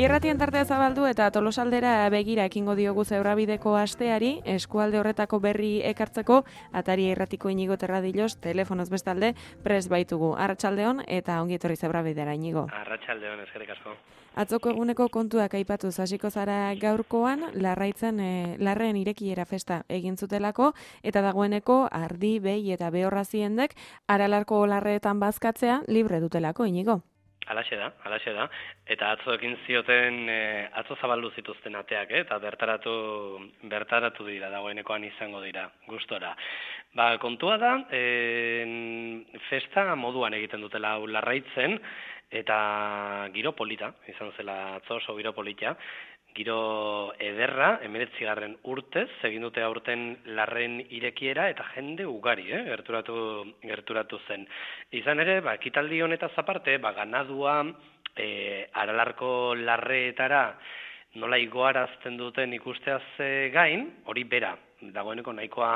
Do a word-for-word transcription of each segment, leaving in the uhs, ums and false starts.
Irratien tartea zabaldu eta Tolosaldera begira ekingo diogu Zebrabideko asteari, eskualde horretako berri ekartzeko, Atari Irratiko Inigo Terradillos, telefonoz bestalde, prest baitugu. Arratsaldeon eta ongi etorri Zebrabidera, Inigo. Arratsaldeon, eskerrik asko. Atzoko eguneko kontuak aipatuz hasiko zara gaurkoan, larraitzen e, larren irekiera festa egin zutelako, eta dagoeneko ardi, behi eta behorra ziendek, aralarko larreetan bazkatzea libre dutelako, Inigo. Alaxe da, alaxe da. Eta atzo ekin zioten, e, atzo zabaldu zituzten ateak, eh? Eta bertaratu, bertaratu dira, dagoenekoan izango dira, gustora. Ba, kontua da, e, festa moduan egiten dutela hau larraitzen, eta giro polita, izan zela atzo oso giro polita, giro ederra, hemeretzigarren urtez, egin dute aurten larren irekiera eta jende ugari, eh? gerturatu, gerturatu zen. Izan ere, ba, ekitaldi honetaz aparte, ba, ganadua e, aralarko larreetara nola igoarazten duten ikusteaz e, gain, hori bera, dagoeneko nahikoa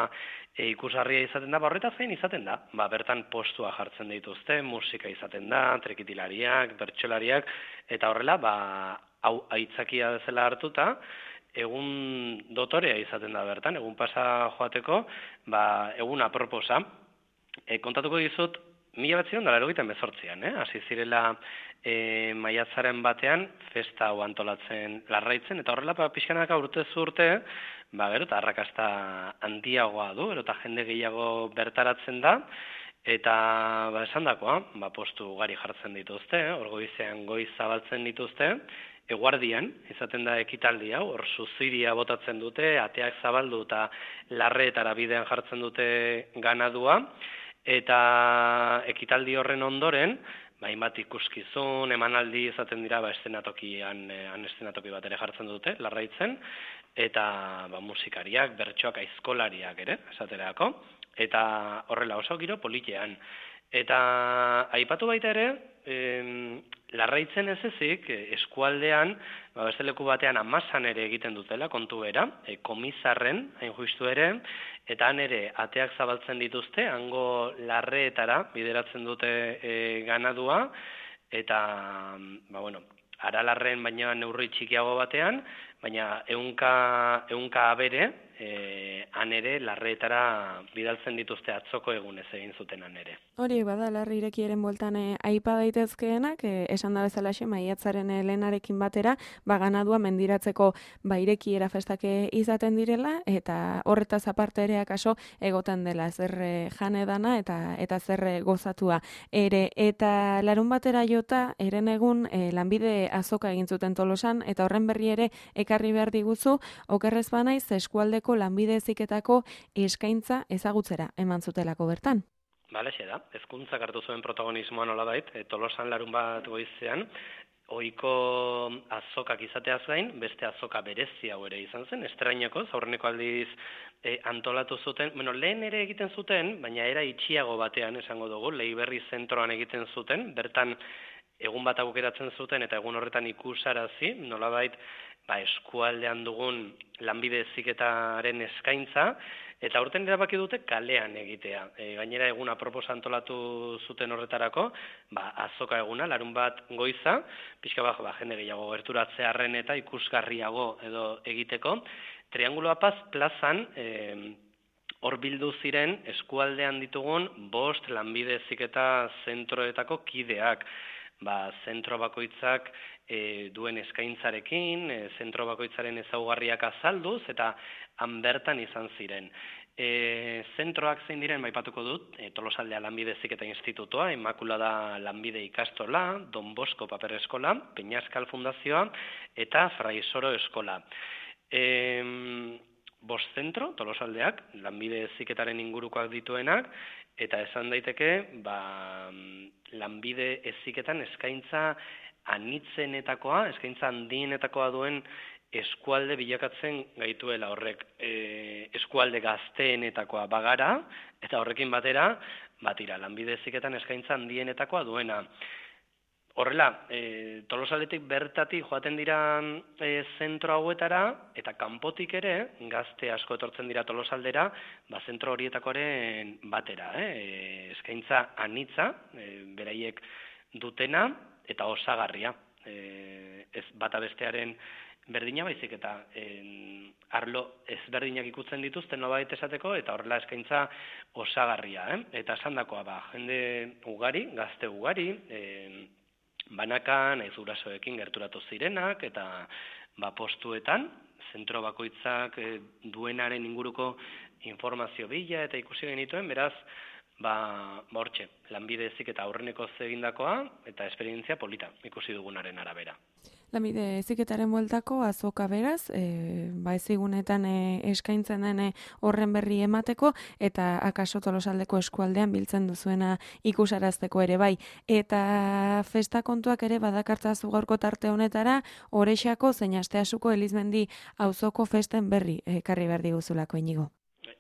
e, ikusarria izaten da, ba, horretaz gain izaten da. Ba, bertan postua jartzen dituzte, musika izaten da, trekitilariak, bertsolariak, eta horrela, ba, hau aitzakia bezala hartuta, egun dotorea izaten da bertan, egun pasa joateko, ba, egun aproposa. E, kontatuko dizut, mila batzion da larogeita hemezortzian, eh? hasi zirela e, maiatzaren batean, festa hau antolatzen larraitzen, eta horrela ba, pixkanaka urtez urte, ba, gero, eta arrakasta handiagoa du, gero, eta jende gehiago bertaratzen da, eta ba, esan dakoa, ba, postu ugari jartzen dituzte, eh? hor goizean goiz zabaltzen dituzte, eguardian, izaten da ekitaldi hau, hor suziria botatzen dute, ateak zabaldu eta larreetara bidean jartzen dute ganadua, eta ekitaldi horren ondoren, ba, hainbat ikuskizun, emanaldi izaten dira, ba, estenatokian, han estenatoki bat ere jartzen dute, larraitzen, eta ba, musikariak, bertsoak, aizkolariak ere, esaterako, eta horrela oso giro politean. Eta aipatu baita ere, em, larraitzen ez ezik, eskualdean, ba, beste leku batean amasan ere egiten dutela, kontu bera, e, komisarren, hain justu ere, eta han ere ateak zabaltzen dituzte, hango larreetara bideratzen dute e, ganadua, eta, ba, bueno, aralarren baina neurri txikiago batean, baina ehunka, ehunka abere, e, han ere larreetara bidaltzen dituzte atzoko egunez egin zuten han ere. Hori bada larri irekiaren bueltan e, aipa daitezkeenak, e, esan da bezalaxe maiatzaren e, lehenarekin batera, ba ganadua mendiratzeko ba irekiera festake izaten direla, eta horretaz aparte ere akaso egoten dela zer e, jane dana eta eta zer e, gozatua ere, eta larun batera jota eren egun e, lanbide azoka egin zuten Tolosan, eta horren berri ere ekarri behar diguzu, okerrez banaiz eskualdeko lanbide heziketako eskaintza ezagutzera eman zutelako bertan. Balexe da, hezkuntzak hartu zuen protagonismoa nolabait, e, Tolosan larun bat goizean, ohiko azokak izateaz gain, beste azoka berezi hau ere izan zen, estraineko, aurreneko aldiz e, antolatu zuten, bueno, lehen ere egiten zuten, baina era itxiago batean esango dugu, Leiberri zentroan egiten zuten, bertan egun bat aukeratzen zuten eta egun horretan ikusarazi, nolabait ba, eskualdean dugun lanbide heziketaren eskaintza, eta aurten erabaki dute kalean egitea. E, gainera egun apropos antolatu zuten horretarako, ba, azoka eguna, larun bat goiza, pixka bat, ba, jende gehiago gerturatzearren eta ikusgarriago edo egiteko. Triangulo Paz plazan, e, hor bildu ziren eskualdean ditugun bost lanbide heziketa zentroetako kideak. Ba, zentro bakoitzak e, duen eskaintzarekin, e, zentro bakoitzaren ezaugarriak azalduz, eta han bertan izan ziren. E, zentroak zein diren, baipatuko dut, e, Tolosaldea Lanbide Heziketa Institutoa, Immaculada Lanbide Ikastola, Don Bosco Paper Eskola, Peñaskal Fundazioa, eta Fraisoro Eskola. E, bost zentro, Tolosaldeak, lanbide heziketaren ingurukoak dituenak, eta esan daiteke, ba, lanbide heziketan eskaintza anitzenetakoa, eskaintza handienetakoa duen eskualde bilakatzen gaituela horrek, e, eskualde gazteenetakoa bagara, eta horrekin batera, batira, lanbide heziketan eskaintza handienetakoa duena. Horrela, e, Tolosaldetik bertatik joaten dira e, zentro hauetara, eta kanpotik ere, gazte asko etortzen dira Tolosaldera, ba, zentro horietakoaren batera. Eh? Eskaintza anitza, e, beraiek dutena, eta osagarria. E, ez bata bestearen berdina, baizik eta en, arlo ezberdinak ikutzen dituzten nobait esateko, eta horrela eskaintza osagarria, eh? Eta esandakoa ba, jende ugari, gazte ugari, en, banakan, ez gurasoekin gerturatu zirenak, eta ba, postuetan, zentro bakoitzak e, duenaren inguruko informazio bila eta ikusi genituen, beraz, ba, hortxe, lanbide heziketa aurreneko egindakoa eta esperientzia polita ikusi dugunaren arabera. Lanbide heziketaren bueltako azoka beraz, e, ba ezigunetan e, eskaintzen den horren berri emateko eta akaso Tolosaldeko eskualdean biltzen duzuena ikusarazteko ere bai. Eta festa kontuak ere badakartzazu gaurko tarte honetara, Orexako zein Asteasuko Elizmendi auzoko festen berri ekarri behar diguzulako, Inigo.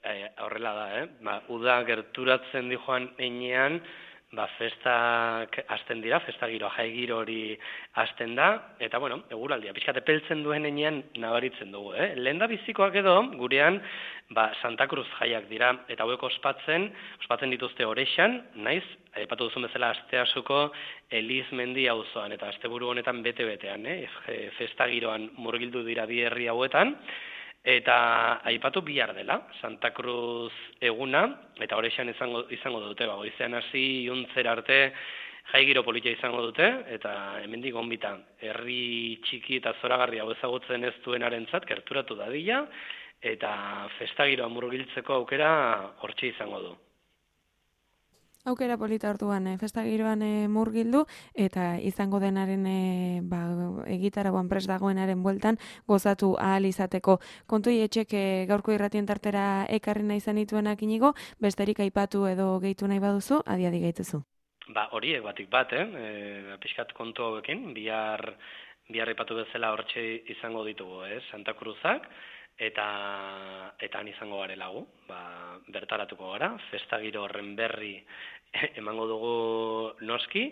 E, horrela da, eh? Ba, uda gerturatzen di joan einean, ba, festak hasten dira, festa giroa, jai giro hori hasten da, eta bueno, eguraldia, pixkate peltzen duen einean nabaritzen dugu, eh? Lehen da bizikoak edo, gurean, ba, Santa Cruz jaiak dira, eta hauek ospatzen, ospatzen dituzte Orexan, naiz, aipatu duzun bezala Asteasuko Elizmendi auzoan, eta asteburu honetan bete-betean, eh? Festa giroan murgildu dira bi herri hauetan, eta aipatu bihar dela, Santa Cruz eguna, eta Orexan izango, izango dute, ba, goizean hasi iuntzera arte jai giro politia izango dute, eta hemendik gonbita, herri txiki eta zoragarria hau ezagutzen ez duenarentzat gerturatu dadila, eta festa giroa murgiltzeko aukera hortxe izango du. Aukera polita orduan, e, festa giroan e, murgildu, eta izango denaren e, ba, egitaragoan prest dagoenaren bueltan gozatu ahal izateko. Kontui etxek e, gaurko irratien tartera ekarri nahi zenituenak, Inigo, besterik aipatu edo gehitu nahi baduzu, adiadi gehituzu. Ba, horiek batik bat, eh? E, pixkat kontu hauekin, bihar, bihar aipatu bezala hortxe izango ditugu, eh? Santa Cruzak, eta eta han izango garelagu, ba, bertaratuko gara, festa giro horren berri emango dugu noski,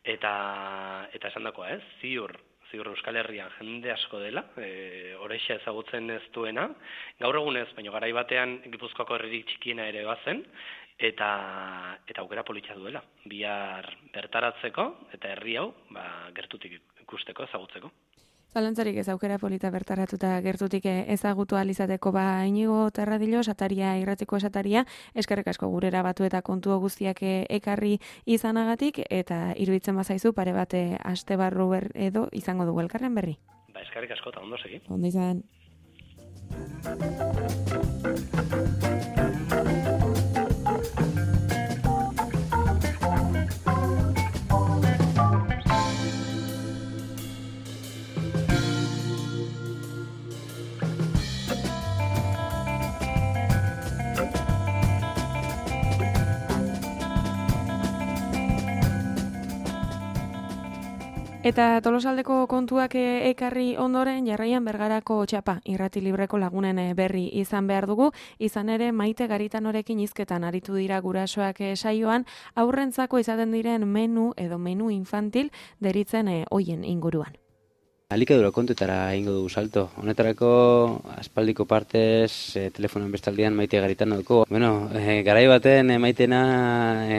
eta eta esandakoa, ez? Ziur, ziur Euskal Herrian jende asko dela, e, Orexa ezagutzen ez duena, gaur egunez, baina garai batean Gipuzkoako herririk txikiena ere bazen, eta eta aukera politxa duela, bihar bertaratzeko eta herri hau, ba, gertutik ikusteko, ezagutzeko. Zalantzarik ez aukera polita bertaratuta gertutik ezagutu ahal izateko, ba, Inigo Terradillo, Sataria, irratiko esataria, eskerrik asko gurera batu eta kontu guztiak ekarri izanagatik, eta iruditzen bazaizu pare bate aste barru ber edo izango dugu elkarren berri. Ba, eskerrik asko eta ondo segi. Ondo izan. Eta Tolosaldeko kontuak ekarri ondoren jarraian Bergarako txapa irrati libreko lagunen berri izan behar dugu, izan ere Maite Garitanorekin hizketan aritu dira gurasoak saioan, aurrentzako izaten diren menu edo menu infantil deritzen hoien inguruan. Alikadura kontuetara egingo dugu salto. Honetarako aspaldiko partez e, telefonoen bestaldean Maite Garitano dugu. Bueno, e, garai baten e, Maitena e,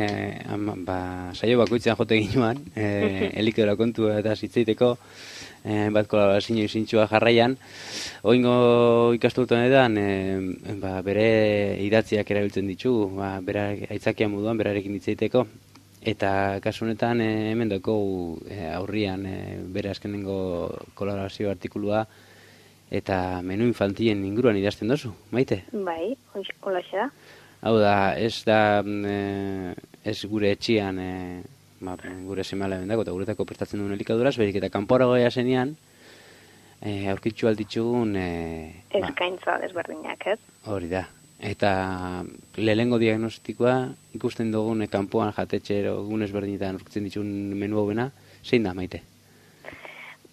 ama, ba, saio bakoitzean jote ginuan, e, elikadura kontua eta zitzeiteko e, bat kolaborazio izintxua jarraian. Oingo ikastutu honetan e, ba, bere idatziak erabiltzen ditugu, ba, bera aitzakia moduan berarekin hitzeiteko. Eta kasu honetan e, hemen daukagu e, aurrian e, bere azkenengo kolaborazio artikulua eta menu infantilen inguruan idazten dozu, Maite? Bai, holaxe da. Hau da, ez da e, ez gure etxian e, ba, gure semala bendako eta guretako prestatzen duen elikaduraz, berik eta kanporagoia zenean e, aurkitzu alditzugun e, eskaintza desberdinak, ez? Hori da. Eta lehengo diagnostikoa ikusten dugun kanpoan jatetxero egun ezberdinetan aurkitzen dituen menu hauena, zein da, Maite?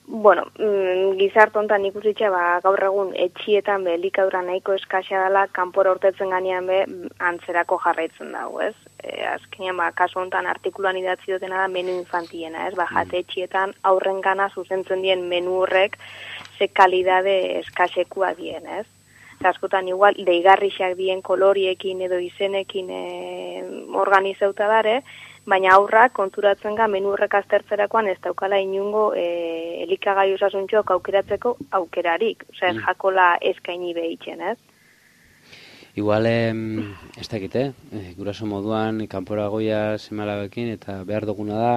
Bueno, mm, gizart hontan ikusitxe, ba, gaur egun etxietan be elikadura nahiko eskasia dela, kanpora urtetzen ganean be antzerako jarraitzen dago, ez? E, azkenean, ba, kasu hontan artikuluan idatzi dutena da menu infantiena, ez? Ba, jatetxietan aurren gana zuzentzen dien menu horrek ze kalidade eskasekua dien, ez? Askotan igual deigarrixak dien koloriekin edo izenekin e, organizauta dare, baina aurrak konturatzen ga menu horrek aztertzerakoan ez daukala inungo e, elikagai osasuntxoak aukeratzeko aukerarik, osea, mm. jakola eskaini behitzen, ez? Igual, em, ez dakit, eh? E, guraso moduan, kanpora goia seme-alabekin, eta behar duguna da,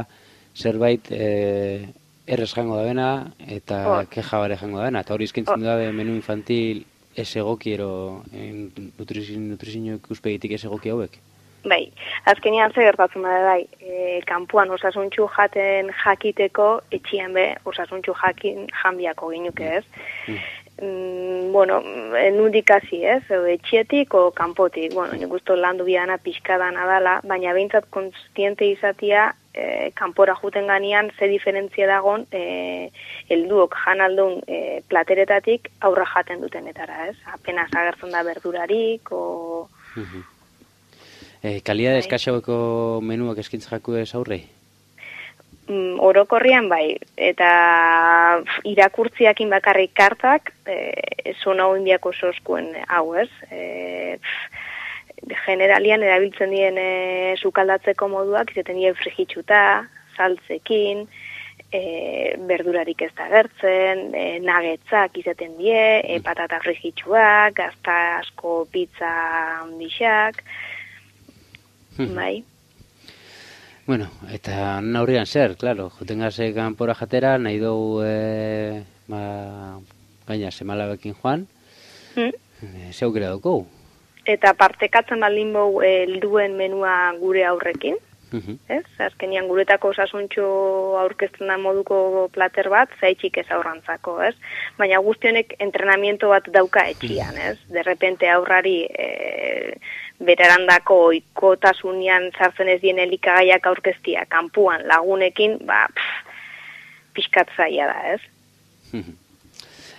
zerbait e, errez jango da bena, eta oh. keja bare jango da bena, eta hori izkintzen oh. da menu infantil ez egokiero, nutrizio ikuspegitik ez egoki hauek? Bai, azkenean ze gertatzen da bai, e, kanpuan osasuntxu jaten jakiteko, etxian be osasuntxu jakin janbiako ginuke ez. Mm. Mm, bueno, nundik hasi ez, etxietik o kanpotik, bueno, nik usto landu biana pixkadana dala, baina behintzat konstiente izatia e, kanpora juten ganean ze diferentzia dagon e, helduok jan aldun e, plateretatik aurra jaten dutenetara, ez? Apenas agertzen da berdurarik, o... Mm-hmm. E, kalidad eskasaueko menuak eskintza jaku ez aurrei? Mm, orokorrian bai, eta irakurtziakin bakarrik kartak, e, zona hondiako soskuen hau ez, e, generalian erabiltzen dien e, sukaldatzeko moduak, izaten dien frigitxuta, saltzekin, e, berdurarik ez da gertzen, e, nagetzak izaten die, e, patata frigitxuak, gazta asko pizza handixak, bai. Bueno, eta naurrian zer, claro, joten gaze kanpora jatera, nahi dugu e, ma, gaina semalabekin joan, mm. e, ze aukera dugu. Eta partekatzen baldin bau helduen menua gure aurrekin, mm-hmm. ez? Azkenian guretako osasuntxo aurkezten da moduko plater bat, zaitxik ez aurrantzako, ez? Baina guztionek entrenamiento bat dauka etxian, ez? De repente aurrari... E, berarandako oikotasunean sartzen ez dien elikagaiak aurkeztia kanpuan lagunekin, ba, pixkat zaila da, ez?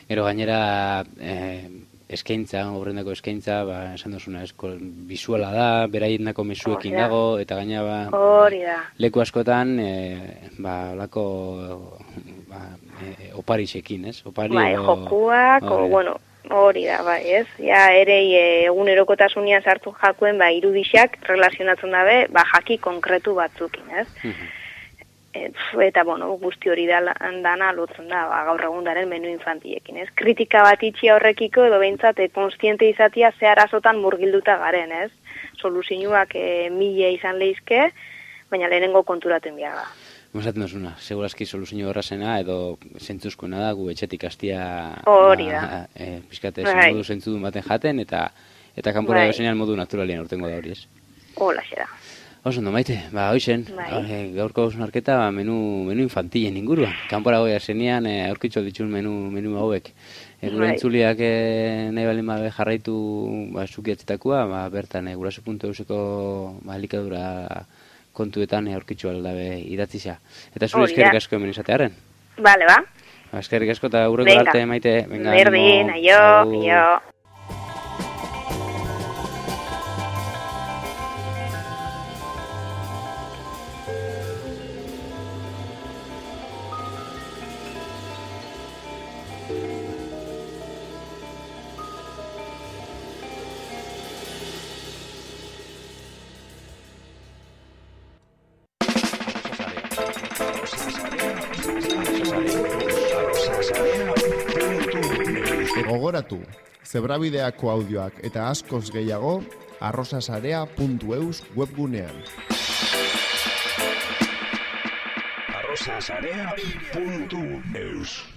Gero gainera, eh, eskaintza, horrendako eskaintza, ba, esan duzuna, esko, bisuala da, beraiendako mesuekin dago, eta gaina, ba, hori da. Leku askotan, eh, ba, olako, ba, eh, oparixekin, ez? Opari, bai, o, jokuak, o, bueno, hori da, bai, ez? Ja, ere egunerokotasunean sartu jakuen, ba, irudixak relazionatzen dabe, ba, jaki konkretu batzukin, ez? Uh-huh. Et, eta, bueno, guzti hori da, dana lotzen da, ba, gaur egundaren menu infantiekin, ez? Kritika bat itxi horrekiko, edo behintzat, e, konstiente izatia ze arazotan murgilduta garen, ez? Soluzioak e, mila izan lehizke, baina lehenengo konturaten biaga. Esaten duzuna, segurazki soluzio horrazena edo zentzuzkoena da gu etxetik hastia hori da. E, Piskate bai. Modu zentzudun baten jaten eta eta kanpora bai. Bezenean modu naturalien urtengo da hori ez. Hola, xera. Oso ondo maite, ba hoizen, bai. Gaurko hausnarketa ba, menu, menu infantilen inguruan. Kanpora goia zenean e, aurkitxo ditxun menu, menu hauek. E, gure bai. Entzuliak e, nahi balin babe jarraitu ba, zukiatzetakoa, ba, bertan e, guraso puntu euseko ba, elikadura kontuetan aurkitxo aldabe idatzisa. Eta zure eskerrik asko hemen izatearen. Bale, ba. Eskerrik asko eta urreko arte, maite. Berdin, aio, aio. Gogoratu, zebrabideako audioak eta askoz gehiago arrosasarea puntu eus webgunean. arrosasarea puntu eus